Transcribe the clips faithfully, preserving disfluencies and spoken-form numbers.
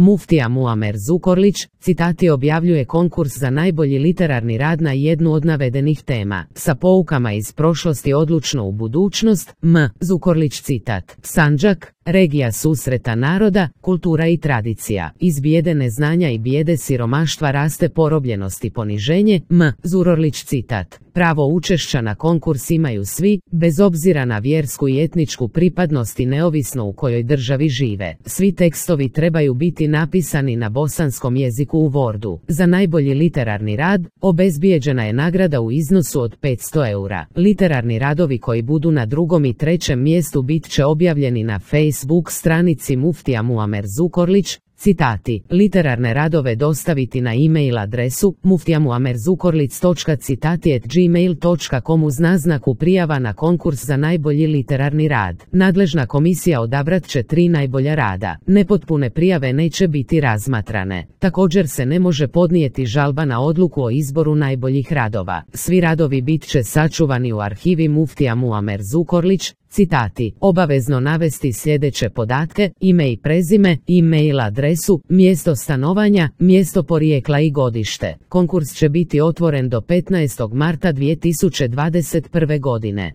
Muftija Muamer Zukorlić, citati, objavljuje konkurs za najbolji literarni rad na jednu od navedenih tema. Sa poukama iz prošlosti odlučno u budućnost. M. Zukorlić, citat. Sandžak, regija susreta naroda, kultura i tradicija. Iz bijede neznanja i bijede siromaštva raste porobljenost i poniženje. M. Zukorlić, citat. Pravo učešća na konkurs imaju svi, bez obzira na vjersku i etničku pripadnost i neovisno u kojoj državi žive. Svi tekstovi trebaju biti napisani na bosanskom jeziku u Wordu. Za najbolji literarni rad obezbijeđena je nagrada u iznosu od petsto eura. Literarni radovi koji budu na drugom i trećem mjestu bit će objavljeni na Facebook stranici Muftija Muamer Zukorlić. Citati, literarne radove dostaviti na e-mail adresu muftijamuamerzukorlic točka citati at gmail točka com uz naznaku prijava na konkurs za najbolji literarni rad. Nadležna komisija odabrat će tri najbolja rada. Nepotpune prijave neće biti razmatrane. Također se ne može podnijeti žalba na odluku o izboru najboljih radova. Svi radovi bit će sačuvani u arhivi Muftija Muamer Zukorlić. Citati, obavezno navesti sljedeće podatke, ime i prezime, e-mail adresu, mjesto stanovanja, mjesto porijekla i godište. Konkurs će biti otvoren do petnaestog marta dvije tisuće dvadeset prve godine.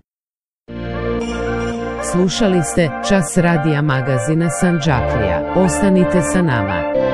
Slušali ste Čas radija magazina Sandžaklija. Ostanite sa nama.